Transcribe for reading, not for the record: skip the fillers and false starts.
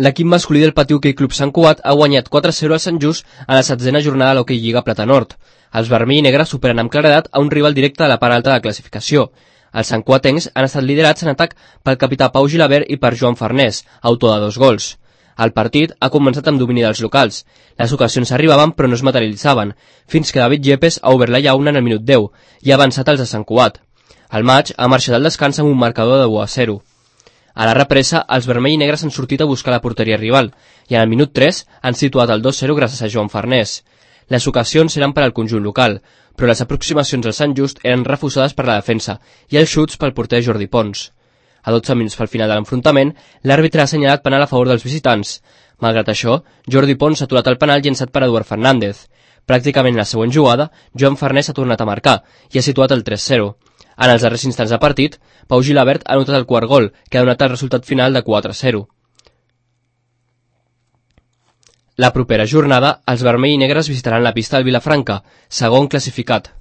L'equip masculí del Patiu Hoquei Club Sant Cugat ha guanyat 4-0 al Sant Just a la 7a jornada de l'Hoquei Lliga Plata Nord. Els vermell i negre superen amb claredat a un rival directe de la part alta de la classificació. Els santcuatencs han estat liderats en atac pel capità Pau Gilabert i per Joan Farnés, autor de 2 gols. El partit ha començat amb domini dels locals. Les ocasions arribaven però no es materialitzaven, fins que David Yepes ha obert la llauna en el minut 10 i ha avançat els de Sant Cugat. El maig ha marxat al descans amb un marcador de 1-0. A la represa, els vermell i negres han sortit a buscar la porteria rival i en el minut 3 han situat el 2-0 gràcies a Joan Farnés. Les ocasions eren per al conjunt local, però les aproximacions al Sant Just eren refusades per la defensa i els xuts pel porter Jordi Pons. A 12 minuts pel final de l'enfrontament, l'àrbitre ha assenyalat penal a favor dels visitants. Malgrat això, Jordi Pons ha aturat el penal llençat per Eduard Fernández. Pràcticament en la següent jugada, Joan Farnés ha tornat a marcar i ha situat el 3-0. En els darrers instants de partit, Pau Gilabert ha anotat el quart gol, que ha donat el resultat final de 4-0. La propera jornada, els vermell i negres visitaran la pista del Vilafranca, segon classificat.